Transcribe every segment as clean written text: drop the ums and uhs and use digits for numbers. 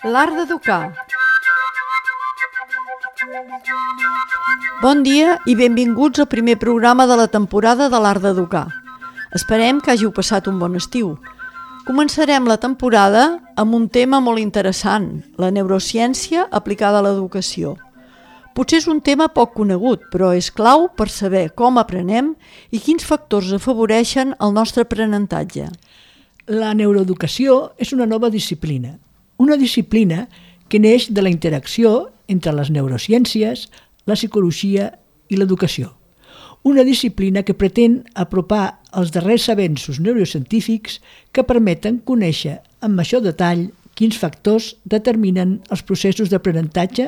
L'art d'educar. Bon dia i benvinguts al primer programa de la temporada de l'art d'educar. Esperem que hàgiu passat un bon estiu. Començarem la temporada amb un tema molt interessant, la neurociència aplicada a l'educació. Potser és un tema poc conegut, però és clau per saber com aprenem i quins factors afavoreixen el nostre aprenentatge. La neuroeducació és una nova disciplina. Una disciplina que neix de la interacció entre les neurociències, la psicologia i l'educació. Una disciplina que pretén apropar els darrers avenços neurocientífics que permeten conèixer amb major detall quins factors determinen els processos d'aprenentatge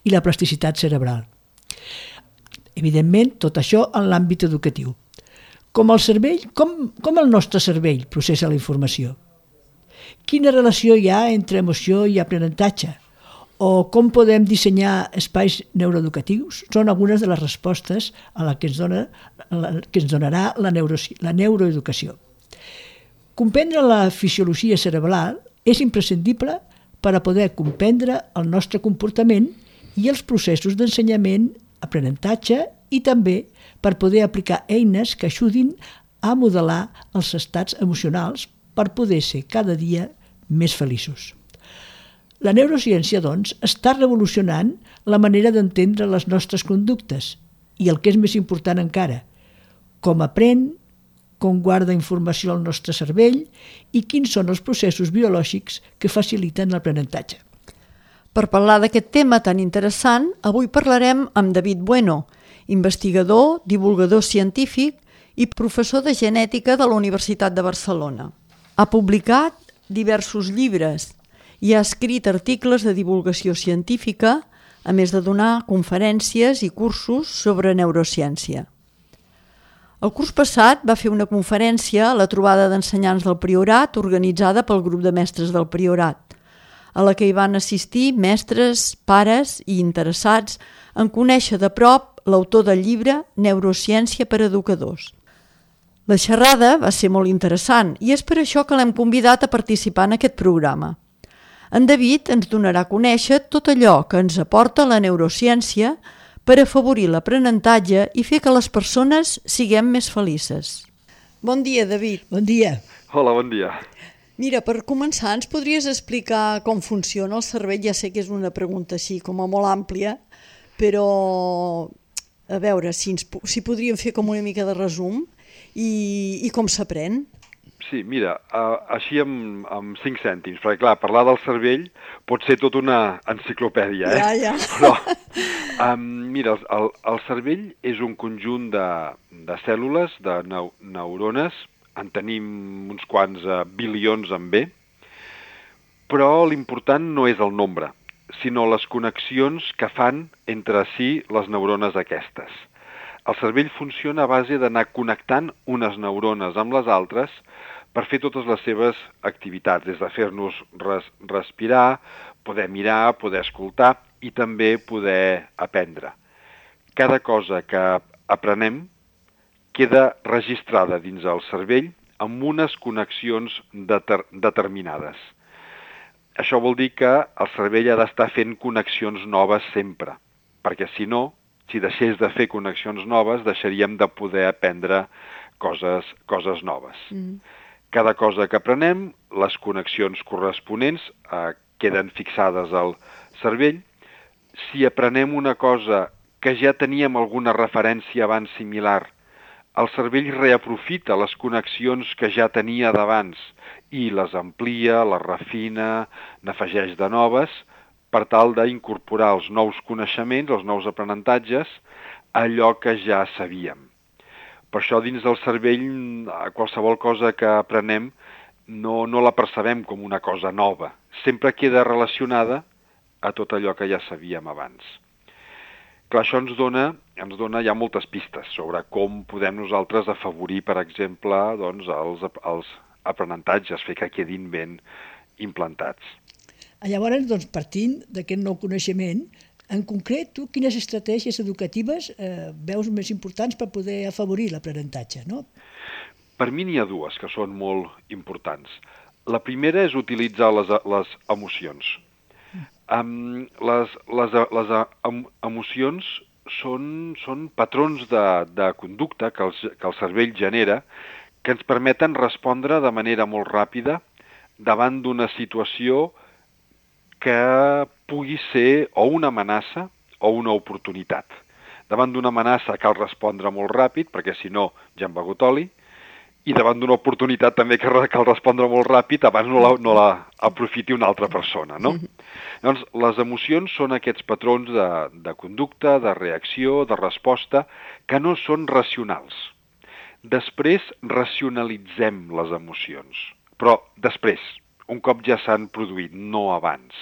i la plasticitat cerebral. Evidentment, tot això en l'àmbit educatiu. Com el nostre cervell processa la informació? Quina relació hi ha entre emoció i aprenentatge? O com podem dissenyar espais neuroeducatius? Són algunes de les respostes a les que ens donarà la neuroeducació. Comprendre la fisiologia cerebral és imprescindible per a poder comprendre el nostre comportament i els processos d'ensenyament, aprenentatge i també per poder aplicar eines que ajudin a modelar els estats emocionals per poder ser cada dia més feliços. La neurociència, doncs, està revolucionant la manera d'entendre les nostres conductes i el que és més important encara, com aprèn, com guarda informació al nostre cervell i quins són els processos biològics que faciliten l'aprenentatge. Per parlar d'aquest tema tan interessant, avui parlarem amb David Bueno, investigador, divulgador científic i professor de genètica de la Universitat de Barcelona. Ha publicat diversos llibres i ha escrit articles de divulgació científica, a més de donar conferències i cursos sobre neurociència. El curs passat va fer una conferència a la trobada d'ensenyants del Priorat organitzada pel grup de mestres del Priorat, a la que hi van assistir mestres, pares i interessats en conèixer de prop l'autor del llibre Neurociència per a educadors. La xerrada va ser molt interessant i és per això que l'hem convidat a participar en aquest programa. En David ens donarà a conèixer tot allò que ens aporta la neurociència per afavorir l'aprenentatge i fer que les persones siguem més felices. Bon dia, David. Bon dia. Hola, bon dia. Mira, per començar, ens podries explicar com funciona el cervell? Ja sé que és una pregunta així com a molt àmplia, però a veure si podríem fer com una mica de resum i com s'aprèn. Sí, mira, així amb 5 cèntims, perquè clar, parlar del cervell pot ser tota una enciclopèdia, Ja. Però, mira, el cervell és un conjunt de cèl·lules, de neurones, en tenim uns quants bilions en B, però l'important no és el nombre, sinó les connexions que fan entre si les neurones aquestes. El cervell funciona a base d'anar connectant unes neurones amb les altres per fer totes les seves activitats, des de fer-nos respirar, poder mirar, poder escoltar i també poder aprendre. Cada cosa que aprenem queda registrada dins el cervell amb unes connexions determinades. Això vol dir que el cervell ha d'estar fent connexions noves sempre, perquè si no, si deixés de fer connexions noves, deixaríem de poder aprendre coses noves. Cada cosa que aprenem, les connexions corresponents queden fixades al cervell. Si aprenem una cosa que ja teníem alguna referència abans similar, el cervell reaprofita les connexions que ja tenia d'abans i les amplia, les refina, n'afegeix de noves, per tal d'incorporar els nous coneixements, els nous aprenentatges, a allò que ja sabíem. Per això dins del cervell qualsevol cosa que aprenem no la percebem com una cosa nova. Sempre queda relacionada a tot allò que ja sabíem abans. Clar, això ens dona ja moltes pistes sobre com podem nosaltres afavorir, per exemple, doncs, els aprenentatges, fer que quedin ben implantats. Llavors, doncs, partint d'aquest nou coneixement, en concret, tu quines estratègies educatives veus més importants per poder afavorir l'aprenentatge, no? Per mi n'hi ha dues que són molt importants. La primera és utilitzar les emocions. Les emocions són patrons de conducta que el cervell genera que ens permeten respondre de manera molt ràpida davant d'una situació que pugui ser o una amenaça o una oportunitat. Davant d'una amenaça cal respondre molt ràpid, perquè si no ja hem begut oli, i davant d'una oportunitat també cal respondre molt ràpid abans no la aprofiti una altra persona, no? Llavors, les emocions són aquests patrons de conducta, de reacció, de resposta, que no són racionals. Després racionalitzem les emocions, però després, un cop ja s'han produït, no abans.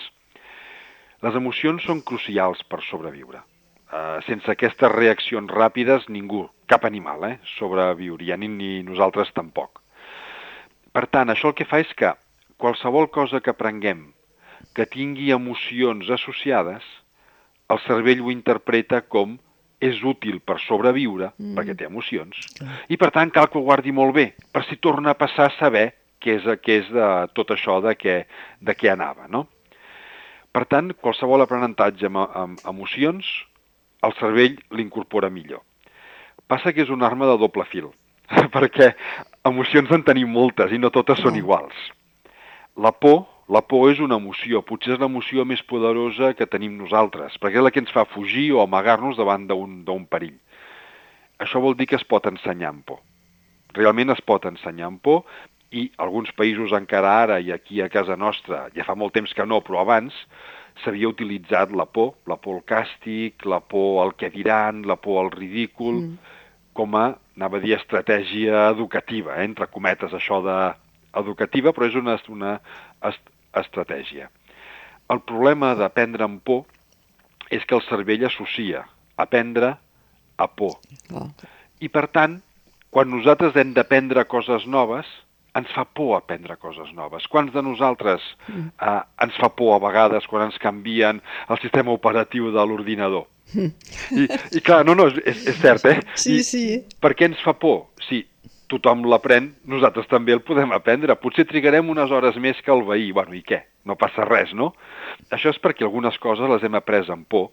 Les emocions són crucials per sobreviure. Sense aquestes reaccions ràpides, ningú, cap animal, sobreviuria, ni nosaltres tampoc. Per tant, això el que fa és que qualsevol cosa que aprenguem que tingui emocions associades, el cervell ho interpreta com és útil per sobreviure, perquè té emocions, i per tant cal que ho guardi molt bé, per si torna a passar a saber què és de tot això de què anava, no? Per tant, qualsevol aprenentatge amb emocions, el cervell l'incorpora millor. Passa que és una arma de doble fil, perquè emocions en tenim moltes i no totes són iguals. La por és una emoció, potser és l'emoció més poderosa que tenim nosaltres, perquè és la que ens fa fugir o amagar-nos davant d'un perill. Això vol dir que es pot ensenyar amb por. Realment es pot ensenyar amb por, i alguns països encara ara, i aquí a casa nostra, ja fa molt temps que no, però abans, s'havia utilitzat la por al càstig, la por al què diran, la por al ridícul, com a, anava a dir, estratègia educativa, entre cometes, això educativa, però és una estratègia. El problema d'aprendre amb por és que el cervell associa aprendre a por. I per tant, quan nosaltres hem d'aprendre coses noves, ens fa por aprendre coses noves. Quants de nosaltres ens fa por a vegades quan ens canvien el sistema operatiu de l'ordinador? I clar, és cert, Sí. Per què ens fa por? Si tothom l'aprèn, nosaltres també el podem aprendre. Potser trigarem unes hores més que el veí. Bueno, i què? No passa res, no? Això és perquè algunes coses les hem après amb por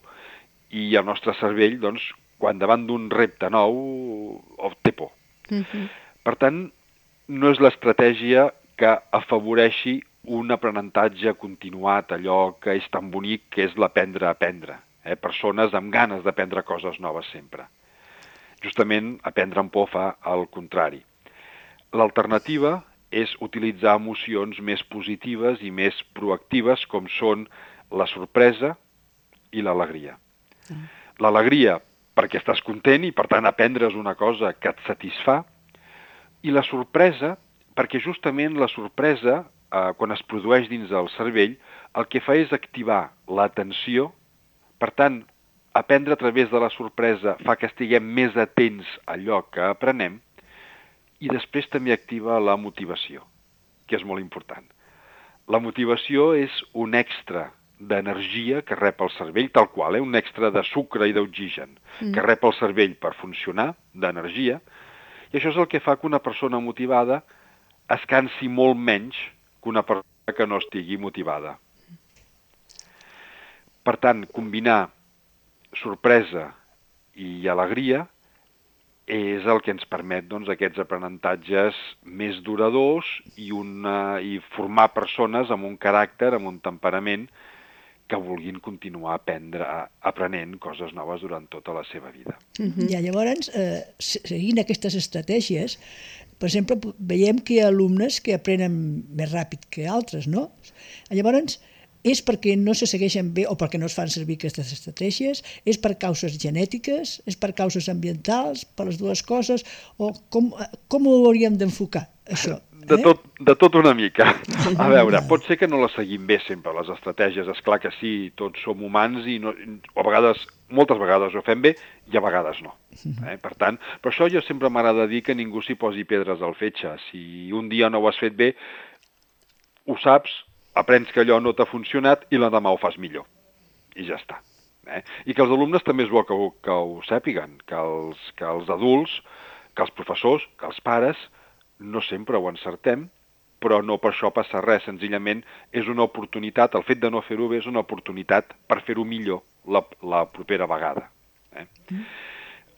i el nostre cervell, doncs, quan davant d'un repte nou, té por. Per tant, no és l'estratègia que afavoreixi un aprenentatge continuat, allò que és tan bonic que és l'aprendre a aprendre. Persones amb ganes d'aprendre coses noves sempre. Justament, aprendre amb por fa el contrari. L'alternativa és utilitzar emocions més positives i més proactives, com són la sorpresa i l'alegria. L'alegria perquè estàs content i, per tant, aprendre's una cosa que et satisfà, i la sorpresa, perquè justament la sorpresa, quan es produeix dins del cervell, el que fa és activar l'atenció. Per tant, aprendre a través de la sorpresa fa que estiguem més atents a allò que aprenem, i després també activa la motivació, que és molt important. La motivació és un extra d'energia que rep el cervell, tal qual, un extra de sucre i d'oxigen, que rep el cervell per funcionar, d'energia, i això és el que fa que una persona motivada es cansi molt menys que una persona que no estigui motivada. Per tant, combinar sorpresa i alegria és el que ens permet, doncs, aquests aprenentatges més duradors i formar persones amb un caràcter, amb un temperament que vulguin continuar aprenent coses noves durant tota la seva vida. I llavors, seguint aquestes estratègies, per exemple, veiem que hi ha alumnes que aprenen més ràpid que altres, no? Llavors, és perquè no se segueixen bé o perquè no es fan servir aquestes estratègies? És per causes genètiques? És per causes ambientals? Per les dues coses? O com ho hauríem d'enfocar, això? De tot una mica. A veure, pot ser que no les seguim bé sempre, les estratègies. És clar que sí, tots som humans i a vegades, moltes vegades ho fem bé i a vegades no. Per tant, per això jo sempre m'agrada dir que ningú s'hi posi pedres al fetge. Si un dia no ho has fet bé, ho saps, aprens que allò no t'ha funcionat i l'endemà ho fas millor. I ja està. I que els alumnes també és bo que ho sàpiguen, que els adults, que els professors, que els pares, no sempre ho encertem però no per això passa res, senzillament és una oportunitat, el fet de no fer-ho bé és una oportunitat per fer-ho millor la propera vegada.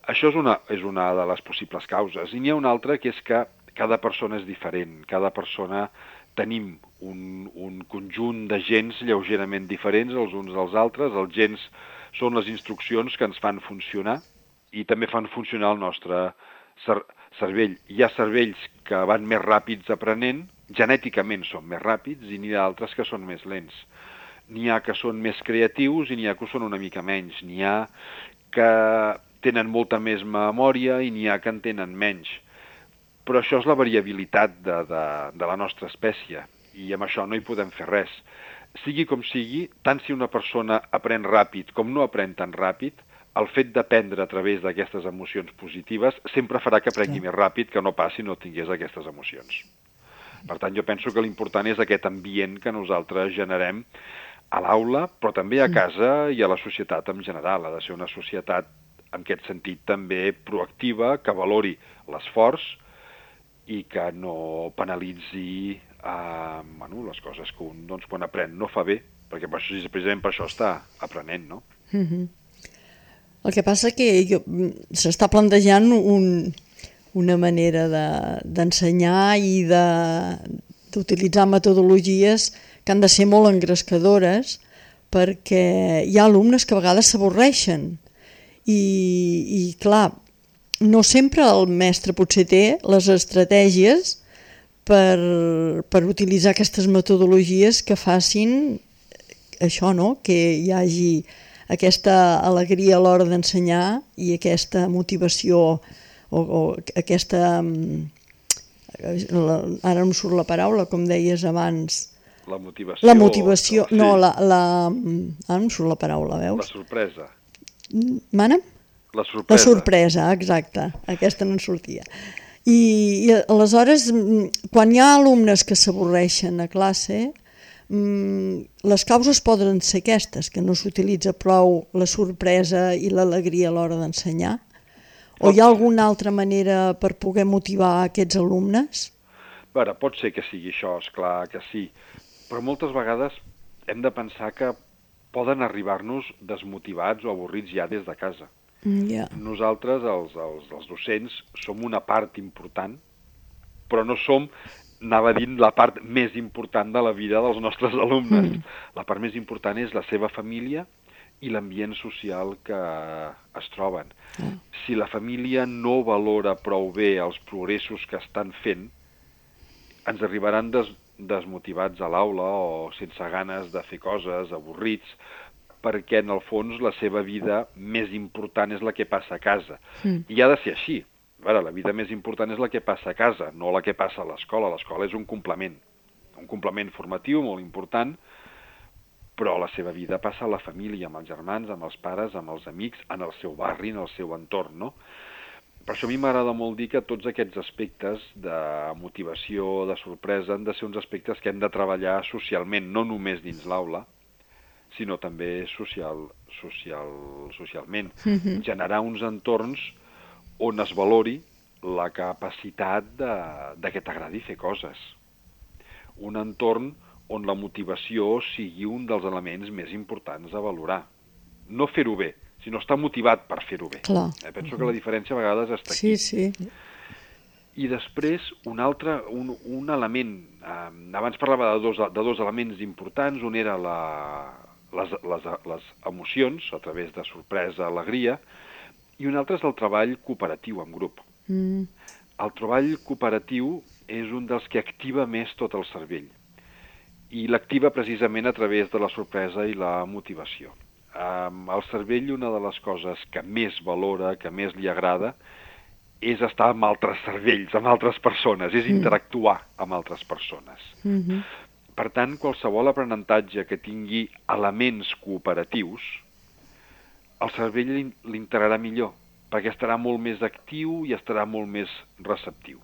Això és una de les possibles causes. I n'hi ha una altra, que és que cada persona és diferent, cada persona tenim un conjunt de gens lleugerament diferents els uns dels altres. Els gens són les instruccions que ens fan funcionar i també fan funcionar el nostre cervell. Hi ha cervells que van més ràpids aprenent, genèticament són més ràpids, i n'hi ha altres que són més lents. N'hi ha que són més creatius i n'hi ha que són una mica menys. N'hi ha que tenen molta més memòria i n'hi ha que en tenen menys. Però això és la variabilitat de la nostra espècie, i amb això no hi podem fer res. Sigui com sigui, tant si una persona aprèn ràpid com no aprèn tan ràpid, el fet d'aprendre a través d'aquestes emocions positives sempre farà que aprengui més ràpid que no pas si no tingués aquestes emocions. Per tant, jo penso que l'important és aquest ambient que nosaltres generem a l'aula, però també a casa i a la societat en general. Ha de ser una societat, en aquest sentit, també proactiva, que valori l'esforç i que no penalitzi les coses que un, quan aprèn, no fa bé, perquè precisament per això està aprenent, no? El que passa que s'està plantejant una manera d'ensenyar i d'utilitzar metodologies que han de ser molt engrescadores, perquè hi ha alumnes que a vegades s'avorreixen i clar, no sempre el mestre potser té les estratègies per utilitzar aquestes metodologies que facin això, no? Que hi hagi aquesta alegria a l'hora d'ensenyar i aquesta motivació o aquesta... Ara no em surt la paraula, com deies abans. La motivació. La motivació, sí. No, ara no em surt la paraula, veus? La sorpresa. Mana? La sorpresa. La sorpresa, exacte. Aquesta no en sortia. I aleshores, quan hi ha alumnes que s'avorreixen a classe, les causes poden ser aquestes, que no s'utilitza prou la sorpresa i l'alegria a l'hora d'ensenyar? O hi ha alguna altra manera per poder motivar aquests alumnes? Bé, pot ser que sigui això, esclar que sí, però moltes vegades hem de pensar que poden arribar-nos desmotivats o avorrits ja des de casa. Nosaltres, els docents, som una part important, però no som, anava dient, la part més important de la vida dels nostres alumnes. La part més important és la seva família i l'ambient social que es troben. Si la família no valora prou bé els progressos que estan fent, ens arribaran desmotivats a l'aula o sense ganes de fer coses, avorrits, perquè en el fons la seva vida més important és la que passa a casa. I ha de ser així. La vida més important és la que passa a casa, no la que passa a l'escola. L'escola és un complement formatiu molt important, però la seva vida passa a la família, amb els germans, amb els pares, amb els amics, en el seu barri, en el seu entorn, no? Per això a mi m'agrada molt dir que tots aquests aspectes de motivació, de sorpresa, han de ser uns aspectes que hem de treballar socialment, no només dins l'aula, sinó també socialment. Generar uns entorns on es valori la capacitat de que t'agradi fer coses. Un entorn on la motivació sigui un dels elements més importants a valorar. No fer-ho bé, sinó estar motivat per fer-ho bé. Penso que la diferència a vegades està aquí. Sí. I després, un element, abans parlava de dos elements importants, un era les emocions, a través de sorpresa, alegria, i un altre és el treball cooperatiu en grup. El treball cooperatiu és un dels que activa més tot el cervell, i l'activa precisament a través de la sorpresa i la motivació. El cervell, una de les coses que més valora, que més li agrada, és estar amb altres cervells, amb altres persones, és interactuar amb altres persones. Per tant, qualsevol aprenentatge que tingui elements cooperatius, el cervell l'integrarà millor, perquè estarà molt més actiu i estarà molt més receptiu.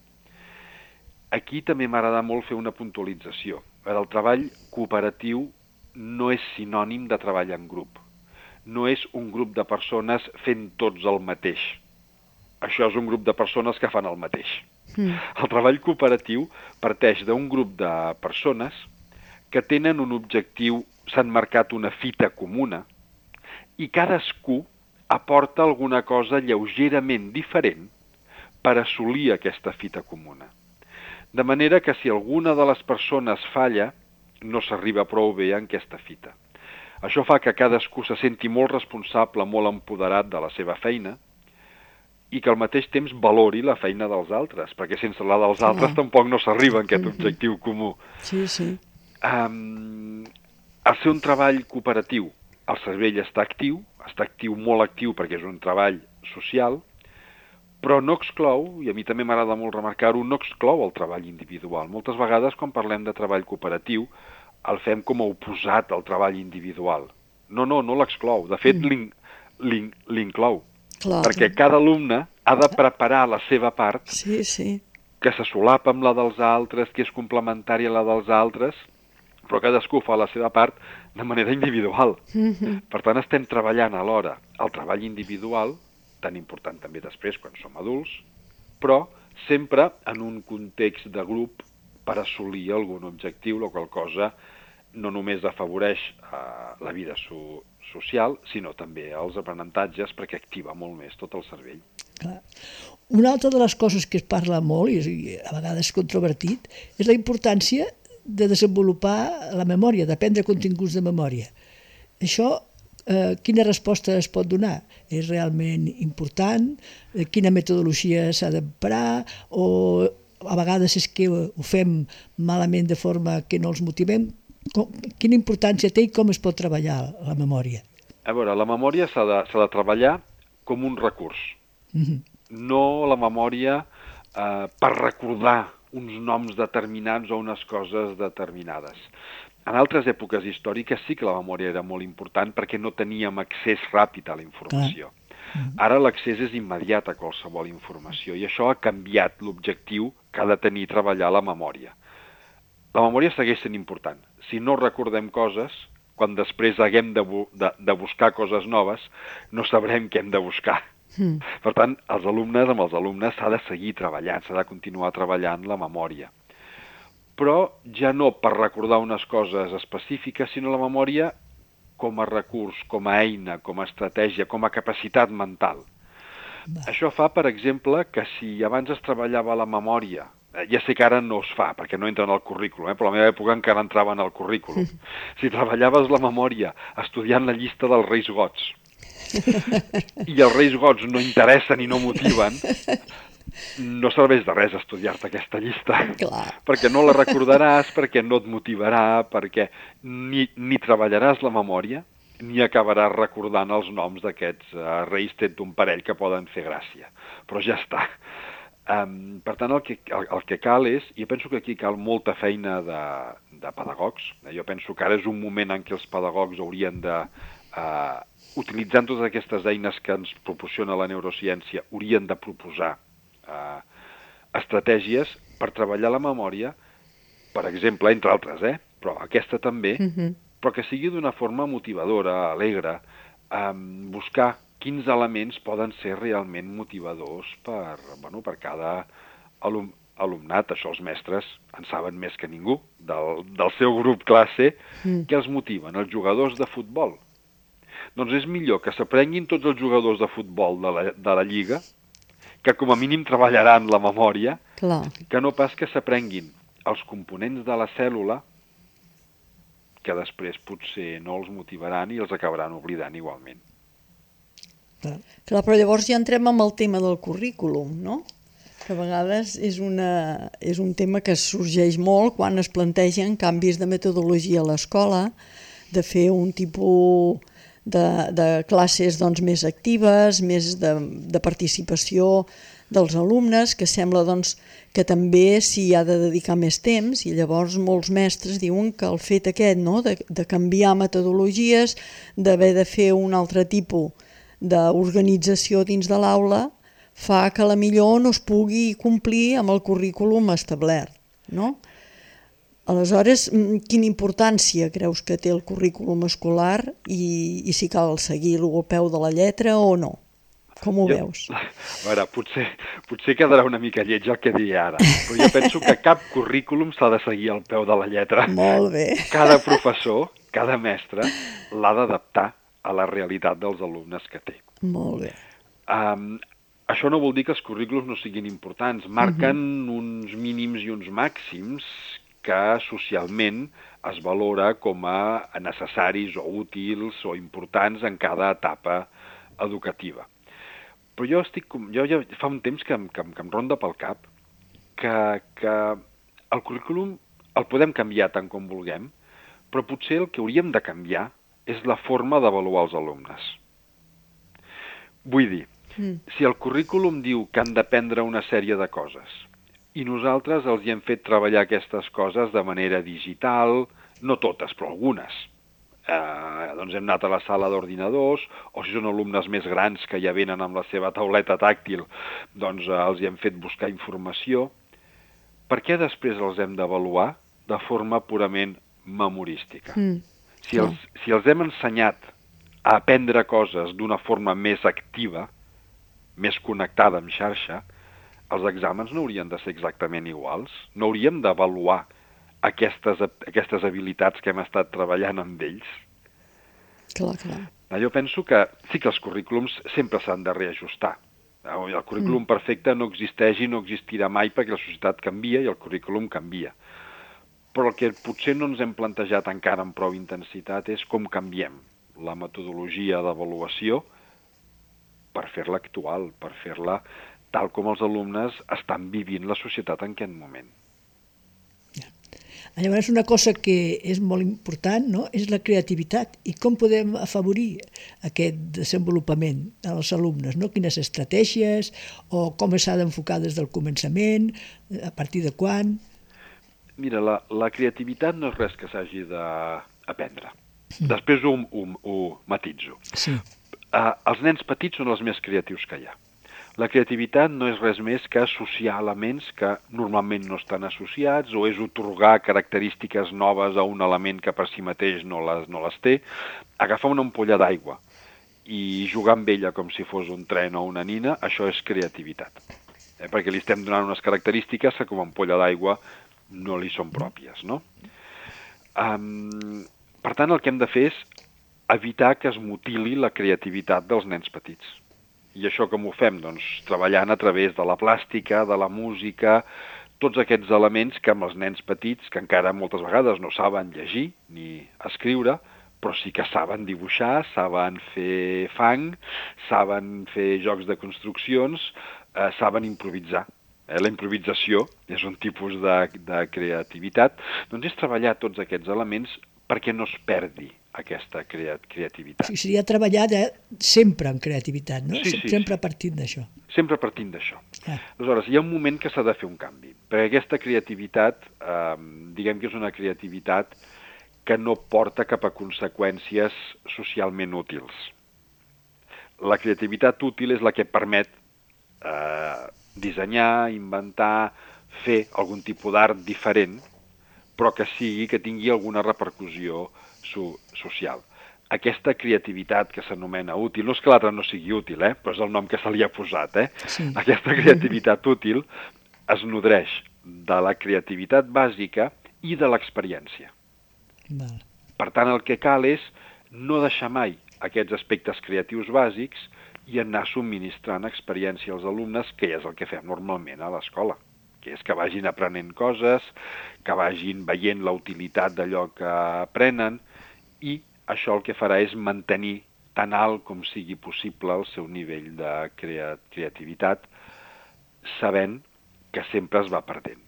Aquí també m'agrada molt fer una puntualització. El treball cooperatiu no és sinònim de treball en grup. No és un grup de persones fent tots el mateix. Això és un grup de persones que fan el mateix. El treball cooperatiu parteix d'un grup de persones que tenen un objectiu, s'han marcat una fita comuna i cadascú aporta alguna cosa lleugerament diferent per assolir aquesta fita comuna. De manera que si alguna de les persones falla, no s'arriba prou bé en aquesta fita. Això fa que cadascú se senti molt responsable, molt empoderat de la seva feina i que al mateix temps valori la feina dels altres, perquè sense la dels altres tampoc no s'arriba a aquest objectiu comú. Sí, sí. Al ser un treball cooperatiu, el cervell està actiu, molt actiu perquè és un treball social, però no exclou, i a mi també m'agrada molt remarcar-ho, no exclou el treball individual. Moltes vegades, quan parlem de treball cooperatiu, el fem com a oposat al treball individual. No l'exclou. De fet, l'inclou. Perquè cada alumne ha de preparar la seva part, que se solapa amb la dels altres, que és complementària a la dels altres, però cadascú fa la seva part de manera individual. Per tant, estem treballant alhora el treball individual, tan important també després quan som adults, però sempre en un context de grup per assolir algun objectiu, la qual cosa no només afavoreix la vida social, sinó també els aprenentatges, perquè activa molt més tot el cervell. Clar. Una altra de les coses que es parla molt, i a vegades controvertit, és la importància de desenvolupar la memòria, d'aprendre continguts de memòria. Això, quina resposta es pot donar? És realment important? Quina metodologia s'ha d'emprar? O a vegades és que ho fem malament de forma que no els motivem? Quina importància té i com es pot treballar la memòria? A veure, la memòria s'ha de treballar com un recurs. No la memòria per recordar uns noms determinats o unes coses determinades. En altres èpoques històriques sí que la memòria era molt important perquè no teníem accés ràpid a la informació. Ara l'accés és immediat a qualsevol informació i això ha canviat l'objectiu que ha de tenir treballar la memòria. La memòria segueix sent important. Si no recordem coses, quan després haguem de buscar coses noves, no sabrem què hem de buscar. Per tant, amb els alumnes s'ha de seguir treballant, s'ha de continuar treballant la memòria. Però ja no per recordar unes coses específiques, sinó la memòria com a recurs, com a eina, com a estratègia, com a capacitat mental. Això fa, per exemple, que si abans es treballava la memòria, ja sé que ara no es fa, perquè no entra en el currículum, però a la meva època encara entrava en el currículum. Si treballaves la memòria estudiant la llista dels Reis Gots, i els Reis Gots no interessen i no motiven, no serveix de res estudiar-te aquesta llista. Perquè no la recordaràs, perquè no et motivarà, perquè ni treballaràs la memòria, ni acabaràs recordant els noms d'aquests reis tret d'un parell que poden fer gràcia. Però ja està. Per tant, el que cal és, i penso que aquí cal molta feina de pedagogs, jo penso que ara és un moment en què els pedagogs haurien de, utilitzant totes aquestes eines que ens proporciona la neurociència, haurien de proposar estratègies per treballar la memòria, per exemple, entre altres, però aquesta també, però que sigui d'una forma motivadora, alegre, buscar quins elements poden ser realment motivadors per cada alumnat. Això els mestres en saben més que ningú, del seu grup classe, que els motiven. Els jugadors de futbol. Doncs és millor que s'aprenguin tots els jugadors de futbol de la Lliga, que com a mínim treballaran la memòria, que no pas que s'aprenguin els components de la cèl·lula, que després potser no els motivaran i els acabaran oblidant igualment. Clar, però llavors ja entrem amb el tema del currículum, no? Que a vegades és un tema que sorgeix molt quan es plantegen canvis de metodologia a l'escola, de fer un tipus de classes més actives, més de participació dels alumnes, que sembla que també s'hi ha de dedicar més temps, i llavors molts mestres diuen que el fet aquest de canviar metodologies, d'haver de fer un altre tipus d'organització dins de l'aula, fa que potser no es pugui complir amb el currículum establert, no? Aleshores, quina importància creus que té el currículum escolar i si cal seguir-lo al peu de la lletra o no? Com ho veus? A veure, potser quedarà una mica lleig el que diré ara, però jo penso que cap currículum s'ha de seguir al peu de la lletra. Molt bé. Cada professor, cada mestre, l'ha d'adaptar a la realitat dels alumnes que té. Molt bé. Això no vol dir que els currículums no siguin importants. Marquen uns mínims i uns màxims que socialment es valora com a necessaris o útils o importants en cada etapa educativa. Però jo ja fa un temps que em ronda pel cap que el currículum el podem canviar tant com vulguem, però potser el que hauríem de canviar és la forma d'avaluar els alumnes. Vull dir, si el currículum diu que han d'aprendre una sèrie de coses i nosaltres els hi hem fet treballar aquestes coses de manera digital, no totes, però algunes, doncs hem anat a la sala d'ordinadors, o si són alumnes més grans que ja venen amb la seva tauleta tàctil, doncs els hi hem fet buscar informació. Per què després els hem d'avaluar de forma purament memorística? Si els hem ensenyat a aprendre coses d'una forma més activa, més connectada amb xarxa, els exàmens no haurien de ser exactament iguals. No hauríem d'avaluar aquestes habilitats que hem estat treballant amb ells. Clar. Jo penso que sí que els currículums sempre s'han de reajustar. El currículum perfecte no existeix i no existirà mai perquè la societat canvia i el currículum canvia. Però el que potser no ens hem plantejat encara amb prou intensitat és com canviem la metodologia d'avaluació per fer-la actual, per fer-la tal com els alumnes estan vivint la societat en aquest moment. Llavors, una cosa que és molt important, no?, és la creativitat. I com podem afavorir aquest desenvolupament als alumnes, no? Quines estratègies o com s'ha d'enfocar des del començament, a partir de quan? Mira, la creativitat no és res que s'hagi d'aprendre. Després ho matitzo. Sí. Els nens petits són els més creatius que hi ha. La creativitat no és res més que associar elements que normalment no estan associats o és otorgar característiques noves a un element que per si mateix no les té. Agafar una ampolla d'aigua i jugar amb ella com si fos un tren o una nina, això és creativitat. Perquè li estem donant unes característiques que com a ampolla d'aigua no li són pròpies, no? Per tant, el que hem de fer és evitar que es mutili la creativitat dels nens petits. I això com ho fem? Doncs treballant a través de la plàstica, de la música, tots aquests elements que amb els nens petits, que encara moltes vegades no saben llegir ni escriure, però sí que saben dibuixar, saben fer fang, saben fer jocs de construccions, saben improvisar. La improvisació és un tipus de creativitat. Doncs és treballar tots aquests elements perquè no es perdi aquesta creativitat. Sí, seria treballar sempre en creativitat, no? Sí. Sempre partint d'això. Sempre partint d'això. Aleshores, hi ha un moment que s'ha de fer un canvi, perquè aquesta creativitat, diguem que és una creativitat que no porta cap a conseqüències socialment útils. La creativitat útil és la que permet dissenyar, inventar, fer algun tipus d'art diferent, però que tingui alguna repercussió social. Aquesta creativitat que s'anomena útil, no és que l'altra no sigui útil, però és el nom que se li ha posat. Sí. Aquesta creativitat útil es nodreix de la creativitat bàsica i de l'experiència. Val. Per tant, el que cal és no deixar mai aquests aspectes creatius bàsics i anar subministrant experiència als alumnes, que és el que fem normalment a l'escola, que és que vagin aprenent coses, que vagin veient la utilitat d'allò que aprenen, i això el que farà és mantenir tan alt com sigui possible el seu nivell de creativitat, sabent que sempre es va perdent.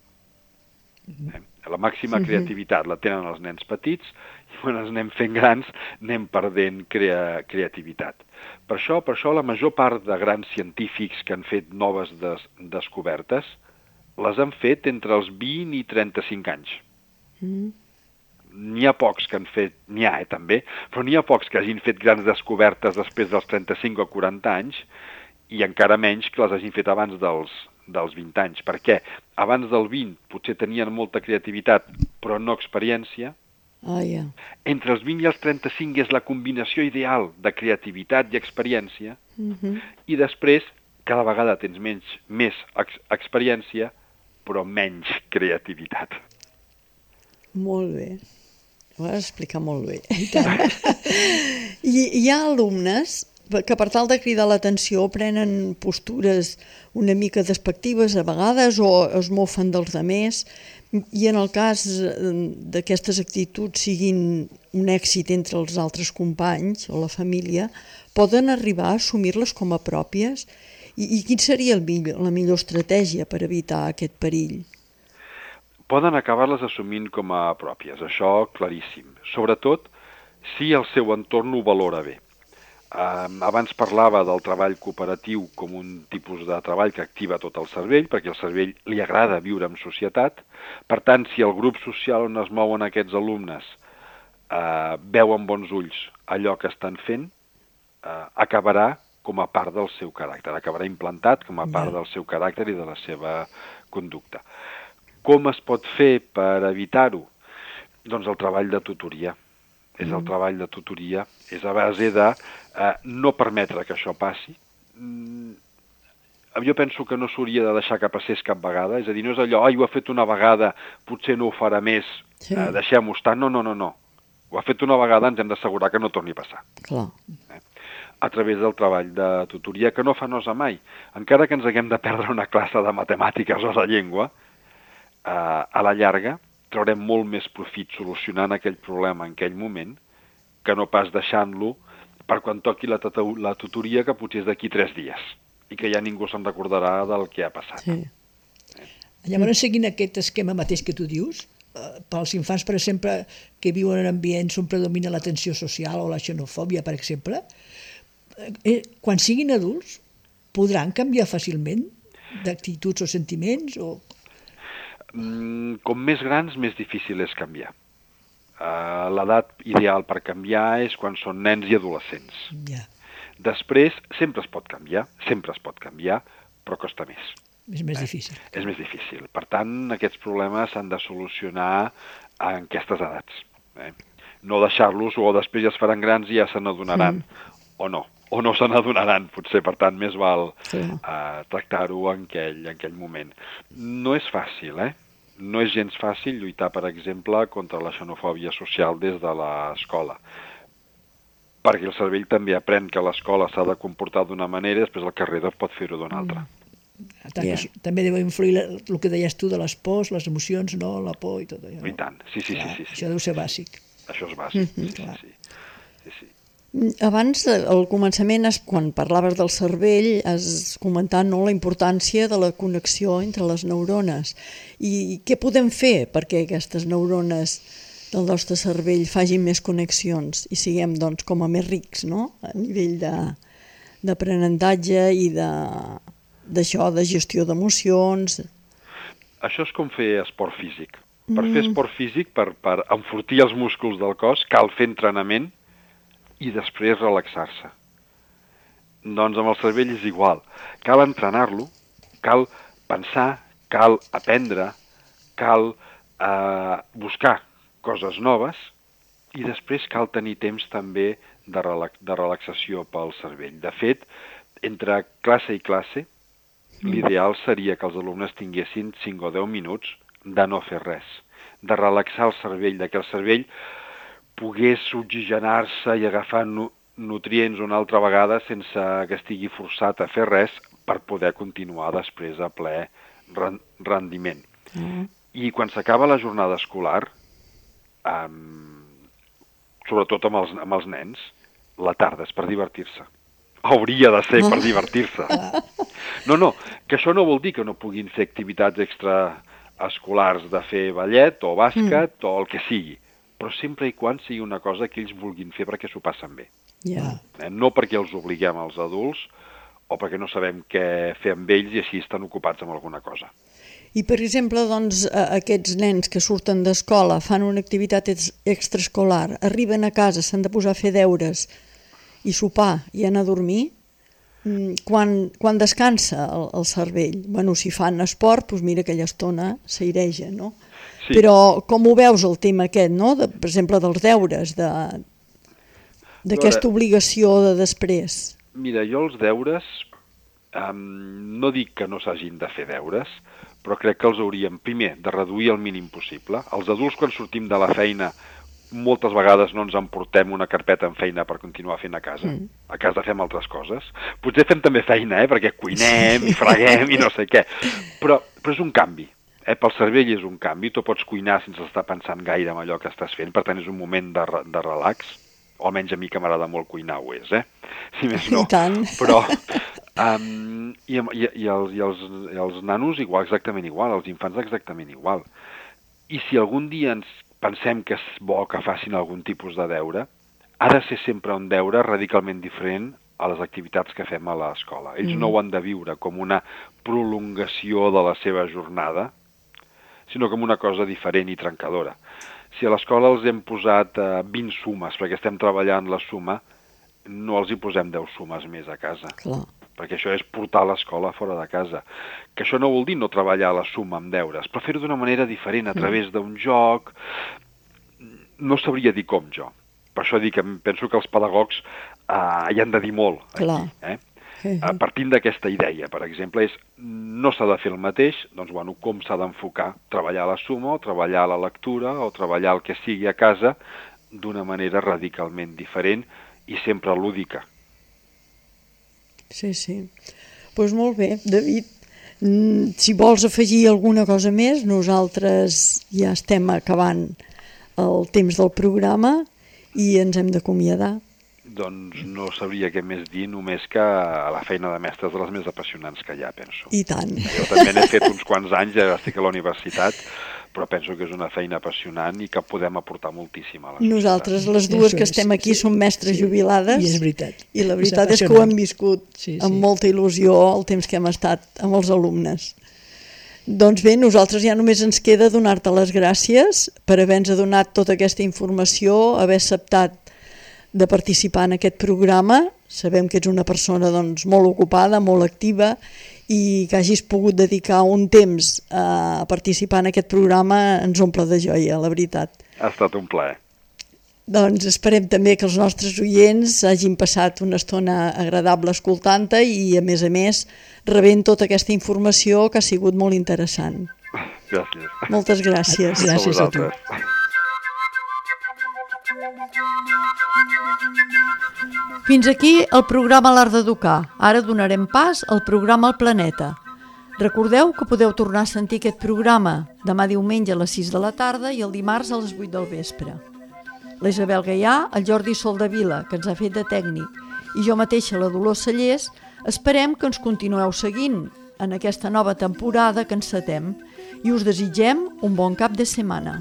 La màxima creativitat la tenen els nens petits i quan ens anem fent grans anem perdent creativitat. Per això la major part de grans científics que han fet noves descobertes les han fet entre els 20 i 35 anys. N'hi ha pocs que han fet, també, però n'hi ha pocs que hagin fet grans descobertes després dels 35 o 40 anys i encara menys que les hagin fet abans dels 20 anys. Per què? Abans del 20 potser tenien molta creativitat però no experiència Entre els 20 i els 35 és la combinació ideal de creativitat i experiència, i després cada vegada tens més experiència, però menys creativitat. Molt bé. Ho vas explicar molt bé. I hi ha alumnes que per tal de cridar l'atenció prenen postures una mica despectives a vegades o es mofen dels altres, i en el cas d'aquestes actituds siguin un èxit entre els altres companys o la família, poden arribar a assumir-les com a pròpies? I quina seria la millor estratègia per evitar aquest perill? Poden acabar-les assumint com a pròpies, això claríssim. Sobretot si el seu entorn ho valora bé. Abans parlava del treball cooperatiu com un tipus de treball que activa tot el cervell, perquè al cervell li agrada viure en societat. Per tant, si el grup social on es mouen aquests alumnes veu amb bons ulls allò que estan fent, acabarà com a part del seu caràcter, acabarà implantat com a part del seu caràcter i de la seva conducta. Com es pot fer per evitar-ho? Doncs el treball de tutoria. És el treball de tutoria, és a base de no permetre que això passi. Jo penso que no s'hauria de deixar que passés cap vegada, és a dir, no és allò, ho ha fet una vegada, potser no ho farà més, deixem-ho estar. No. Ho ha fet una vegada, ens hem d'assegurar que no torni a passar. Clar. A través del treball de tutoria, que no fa nosa mai. Encara que ens haguem de perdre una classe de matemàtiques o de llengua, a la llarga traurem molt més profit solucionant aquell problema en aquell moment que no pas deixant-lo per quan toqui la tutoria, que potser és d'aquí 3 dies i que ja ningú se'n recordarà del que ha passat. Sí. Llavors, seguint aquest esquema mateix que tu dius, pels infants, per exemple, que viuen en ambients on predomina la tensió social o la xenofòbia, per exemple, quan siguin adults podran canviar fàcilment d'actituds o sentiments o... Com més grans, més difícil és canviar. L'edat ideal per canviar és quan són nens i adolescents. Després, sempre es pot canviar, però costa més. És més difícil. És més difícil. Per tant, aquests problemes s'han de solucionar en aquestes edats. No deixar-los, o després ja es faran grans i ja se n'adonaran, o no se n'adonaran, potser. Per tant, més val tractar-ho en aquell moment. No és fàcil, No és gens fàcil lluitar, per exemple, contra la xenofòbia social des de l'escola, perquè el cervell també aprèn que l'escola s'ha de comportar d'una manera i després al carrer pot fer-ho d'una altra. També deu influir el que deies tu de les pors, les emocions, no? La por i tot allò. I tant, sí. Això deu ser bàsic. Això és bàsic, sí. Abans, al començament, quan parlaves del cervell, has comentat la importància de la connexió entre les neurones. I què podem fer perquè aquestes neurones del nostre cervell facin més connexions i siguem, doncs, com a més rics, no?, a nivell d'aprenentatge i d'això, de gestió d'emocions. Això és com fer esport físic. Per fer esport físic, per enfortir els músculs del cos, cal fer entrenament i després relaxar-se. Doncs amb el cervell és igual. Cal entrenar-lo, cal pensar, cal aprendre, cal buscar coses noves i després cal tenir temps també de relaxació pel cervell. De fet, entre classe i classe, l'ideal seria que els alumnes tinguessin 5 o 10 minuts de no fer res, de relaxar el cervell, que el cervell pogués oxigenar-se i agafar nutrients una altra vegada sense que estigui forçat a fer res per poder continuar després a ple rendiment. I quan s'acaba la jornada escolar, sobretot amb els nens, la tarda és per divertir-se. Hauria de ser per divertir-se. No, que això no vol dir que no puguin fer activitats extraescolars de fer ballet o bàsquet o el que sigui, però sempre i quan sigui una cosa que ells vulguin fer perquè s'ho passen bé. No perquè els obliguem als adults o perquè no sabem què fer amb ells i així estan ocupats amb alguna cosa. I, per exemple, doncs, aquests nens que surten d'escola, fan una activitat extraescolar, arriben a casa, s'han de posar a fer deures i sopar i anar a dormir, quan descansa el cervell? Bueno, si fan esport, doncs mira, aquella estona s'aireja, no? Sí. Però com ho veus el tema aquest, no? Per exemple, dels deures, d'aquesta obligació de després? Mira, jo els deures, no dic que no s'hagin de fer deures, però crec que els hauríem, primer, de reduir el mínim possible. Els adults, quan sortim de la feina, moltes vegades no ens emportem una carpeta amb feina per continuar fent a casa. A casa fem altres coses. Potser fem també feina, perquè cuinem i freguem i no sé què. Però és un canvi. Pel cervell és un canvi. Tu pots cuinar sense estar pensant gaire en allò que estàs fent. Per tant, és un moment de relax. O almenys a mi que m'agrada molt cuinar ho és, si més no. I tant. Però, i els nanos exactament igual, els infants exactament igual. I si algun dia ens pensem que és bo que facin algun tipus de deure, ha de ser sempre un deure radicalment diferent a les activitats que fem a l'escola. Ells no ho han de viure com una prolongació de la seva jornada, sinó com una cosa diferent i trencadora. Si a l'escola els hem posat 20 sumes perquè estem treballant la suma, no els hi posem 10 sumes més a casa. Clar. Perquè això és portar l'escola fora de casa. Que això no vol dir no treballar la suma amb deures, però fer-ho d'una manera diferent, a través d'un joc. No sabria dir com jo. Per això dic que penso que els pedagogs hi han de dir molt. Clar. Aquí, partint d'aquesta idea, per exemple, no s'ha de fer el mateix, doncs, com s'ha d'enfocar? Treballar la suma, o treballar la lectura, o treballar el que sigui a casa, d'una manera radicalment diferent i sempre lúdica. Sí. Doncs molt bé, David. Si vols afegir alguna cosa més, nosaltres ja estem acabant el temps del programa i ens hem d'acomiadar. Doncs no sabria què més dir, només que la feina de mestre és de les més apassionants que hi ha, penso. I tant. Jo també n'he fet uns quants anys, ja estic a la universitat, però penso que és una feina apassionant i que podem aportar moltíssim a la societat. Nosaltres, les dues que estem aquí, som mestres jubilades. I és veritat. I la veritat és que ho hem viscut amb molta il·lusió el temps que hem estat amb els alumnes. Doncs bé, nosaltres ja només ens queda donar-te les gràcies per haver-nos donat tota aquesta informació, haver acceptat de participar en aquest programa. Sabem que ets una persona molt ocupada, molt activa, i que hagis pogut dedicar un temps a participar en aquest programa ens omple de joia, la veritat. Ha estat un plaer. Doncs esperem també que els nostres oients hagin passat una estona agradable escoltant-te i, a més, rebent tota aquesta informació que ha sigut molt interessant. Gràcies. Moltes gràcies. Gràcies a tu. Fins aquí el programa L'Art d'Educar. Ara donarem pas al programa El Planeta. Recordeu que podeu tornar a sentir aquest programa demà diumenge a les 6 de la tarda i el dimarts a les 8 del vespre. La Isabel Gaià, el Jordi Soldevila, que ens ha fet de tècnic, i jo mateixa, la Dolors Cellers, esperem que ens continueu seguint en aquesta nova temporada que encetem i us desitgem un bon cap de setmana.